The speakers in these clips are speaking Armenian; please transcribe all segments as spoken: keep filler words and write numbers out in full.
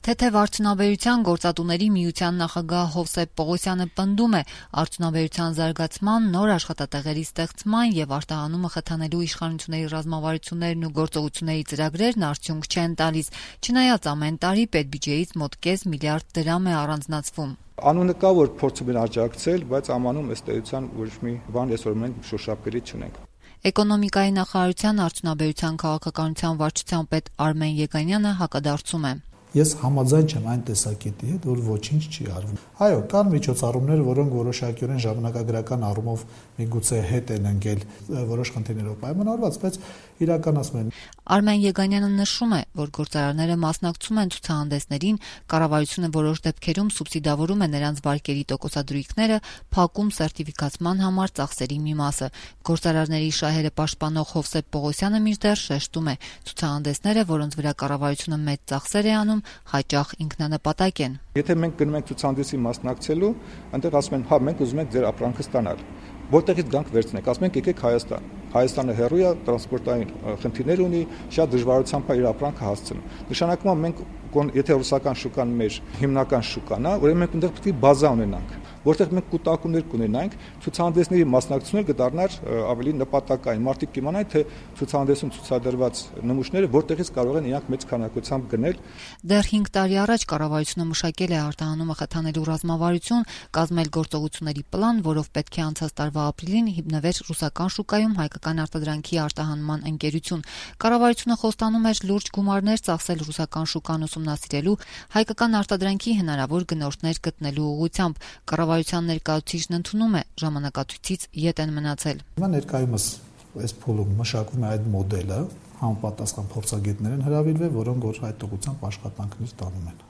Թեթև արդյունաբերության գործատուների միության նախագահ Հովսեփ Պողոսյանը պնդում է, արդյունաբերության զարգացման, նոր աշխատատեղերի ստեղծման եւ արտահանումը խթանելու իշխանությունների ռազմավարություններն ու գործողությունների ծրագրերն արդյունք չեն տալիս, չնայած ամեն տարի պետբյուջեից մոտ կես միլիարդ դրամ է առանձնացվում։ Անունը կա, որ փորձում են աջակցել, բայց ամանում ըստ էության ոչ մի բան այսօր մենք շոշափելի չունենք։ Էկոնոմիկայի նախարարության արդյունաբերության քաղաքականության վարչության պետ Արմեն Եգանյանը հակադարձում է։ Ես համաձայն չեմ այն տեսակետի հետ, որ ոչինչ չի արվում։ Այո, կան միջոցառումներ, որոնք որոշակիորեն ժամանակագրական առումով միգուցե հետ են ընկել որոշ խնդիրներով պայմանավորված, բայց իրականացում են։ Արմեն Եգանյանը նշում է, որ գործարարները մասնակցում են ցուցահանդեսներին, կառավարությունը որոշ դեպքերում սուբսիդավորում է նրանց վարկերի տոկոսադրույքները, փակում սերտիֆիկացման համար ծախսերի մի մասը։ Գործարարների շահերը պաշտպանող Հովսեփ Պողոսյանը մինչդեռ շեշտում է, ցուցահանդեսները, որոնց վրա կառավարությունը մեծ ծախսեր է անում, հաճախ ինքնանպատակ են։ Եթե մենք գնում ենք ցուցահանդեսի մասնակցելու, այնտեղ ասում են, հա, մենք ուզում ենք ձեր ապրանքը ստանալ։ Որտեղից գանք վերցնենք, ասում ենք եկեք Հայաստան։ Հայաստանը հեռու է, տրանսպորտային խնդիրներ ունի, շատ դժվարությամբ է իր ապրանքը հասցնում։ Նշանակում է մենք եթե ռուսական շուկան մեր հիմնական շուկան է, ուրեմն մենք այնտեղ պետք է բազա ունենանք, որտեղ մենք կուտակումներ կունենանք, ցուցահանդեսների մասնակցությունը կդառնար ավելի նպատակային։ Մարդիկ կիմանան, թե ցուցահանդեսում ցուցադրված նմուշները որտեղից կարող են իրանք մեծ քանակությամբ գնել։ Դեռ հինգ տարի առաջ կառավարությունը մշակել է արտահանումը խթանելու ռազմավարություն, կազմել գործողությունների պլան, որով պետք է անցած տարվա ապրիլին հիմնվեր ռուսական շուկայում հայկական արտադրանքի արտահանման ընկերություն։ Կառավարությունը խոստանում էր լուրջ գումարներ ծախսել ռուսական շուկան ուսումնասիրելու, հայկական արտադրանքի հնարավոր գնորդներ գտնելու ուղղությամբ։ Կառավարության ներկայացուցիչն ընդունում է, ժամանակացույցից ետ են մնացել։ Հիմա ներկայումս այս փուլում մշակվում է այդ մոդելը, համապատասխան փորձագետներ են հրավիրվել, որոնք որ այդ ուղղությամբ աշխատանքներ տանում են,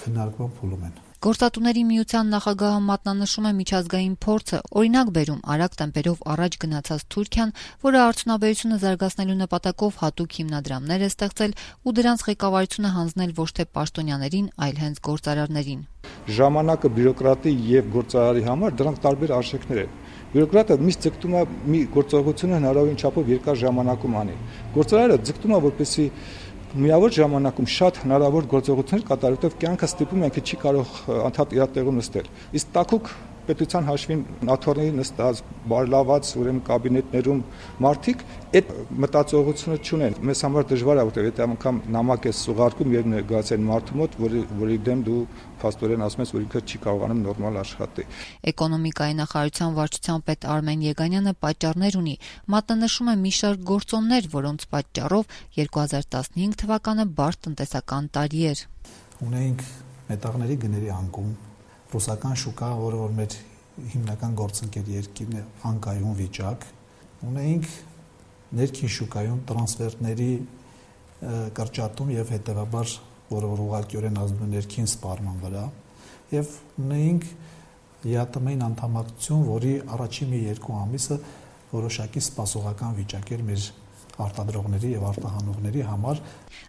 քննարկման փուլում են։ Գործատուների միության նախագահը մատնանշում է միջազգային փորձը, օրինակ բերում արագ տեմպերով առաջ գնացած Թուրքիան, որը արդյունաբերությունը զարգացնելու նպատակով հատուկ հիմնադրամներ է ստեղծել ու դրանց ղեկավարությունը հանձնել ոչ թե պաշտոնյաներին, այլ հենց գործարարներին։ Ժամանակը բյուրոկրատի եւ գործարարի համար դրանք տարբեր արժեքներ են։ Բյուրոկրատը միշտ ձգտում է մի գործողությունը հնարավորին չափով երկար ժամանակում անի։ Գործարարը ձգտում է, որպեսզի միավոր ժամանակում շատ հնարավոր գործողություններ կատարել, որտեղ կյանքը ստիպում է, ինքը չի կարող անդադ իր տեղում նստել։ Իսկ տաքուկ պետության հաշվին աթոռների նստած, բարլաված ուրեմն կաբինետներում մարդիկ այդ մտածողությունը չունեն։ Մեզ համար դժվար է, որտեղ եթե անգամ նամակ է սուղարկում եւ ներկայացեն մարդու մոտ, որի որի դեմ դու փաստորեն ասում ես, որ ինքը չի կարողանում նորմալ աշխատել։ Էկոնոմիկայի նախարարության վարչության պետ Արմեն Եգանյանը պատճառներ ունի, մատնանշում է մի շարք գործոններ, որոնց պատճառով երկու հազար տասնհինգ թվականը բարդ տնտեսական տարի էր։ Ունեինք մետաղների գների անկում, ռուսական շուկա, որը որ մեր հիմնական գործընկեր երկիրն է, անկայուն վիճակ, ունեինք ներքին շուկայում տրանսֆերտների կրճատում եւ հետեւաբար, որը որ ուղղակիորեն ազդում է ներքին սպառման վրա, եւ ունեինք ԵԱՏՄ-ին անդամակցություն, որի առաջին մի երկու ամիսը որոշակի սպասողական վիճակ էր մեր արտադրողների եւ արտահանողների համար։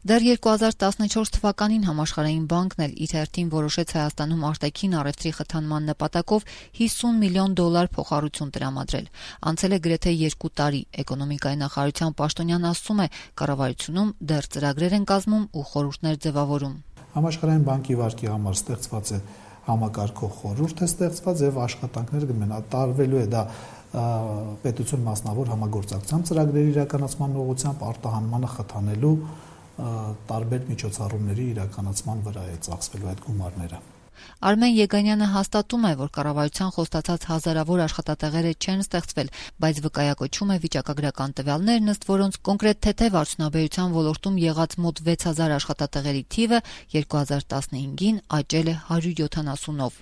Դեռ երկու հազար տասնչորս թվականին Համաշխարհային բանկն էլ իր հերթին որոշեց Հայաստանում արտաքին առևտրի խթանման նպատակով հիսուն միլիոն դոլար փոխառություն տրամադրել։ Անցել է գրեթե երկու տարի։ Էկոնոմիկայի նախարարության պաշտոնյան ասում է, կառավարությունում դեռ ծրագրեր են կազմում ու խորհուրդներ ձևավորում։ Համաշխարհային բանկի վարկի համար ստեղծված է համակարգող խորհուրդ է ստեղծված եւ աշխատանքներ կմնա տարվելու է դա պետություն մասնավոր համագործակցությամբ ծրագրերի իրականացման ուղղությամբ արտահանմանը խթանելու տարբեր միջոցառումների իրականացման վրա է ծախսվելու այդ գումարները։ Արմեն Եգանյանը հաստատում է, որ կառավարության խոստացած հազարավոր աշխատատեղերը չեն ստեղծվել, բայց վկայակոչում է վիճակագրական տվյալներն, ըստ որոնց կոնկրետ թեթև արդյունաբերության ոլորտում եղած մոտ վեց հազար աշխատատեղերի թիվը երկու հազար տասնհինգին աճել է հարյուր յոթանասունով։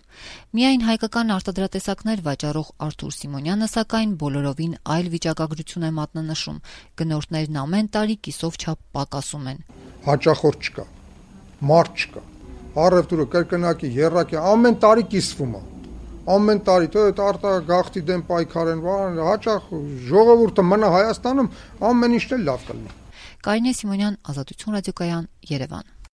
Միայն հայկական արտադրատեսակներ վաճառող Արթուր Սիմոնյանը, սակայն, բոլորովին այլ վիճակագրություն է մատնանշում։ Գնորդներն ամեն տարի կիսով չափ պակասում են։ Հաճախորդ չկա, մարդ չկա։ Առևտուրը կրկնակի, եռակի ամեն տարի կիսվում է։ Ամեն տարի թե այդ արտագաղթի դեմ պայքարեն, հաճախ ժողովուրդը մնա Հայաստանում, ամեն ինչ էլ լավ կլինի։ Կարինե Սիմոնյան, Ազատություն ռադիոկայան, Երևան։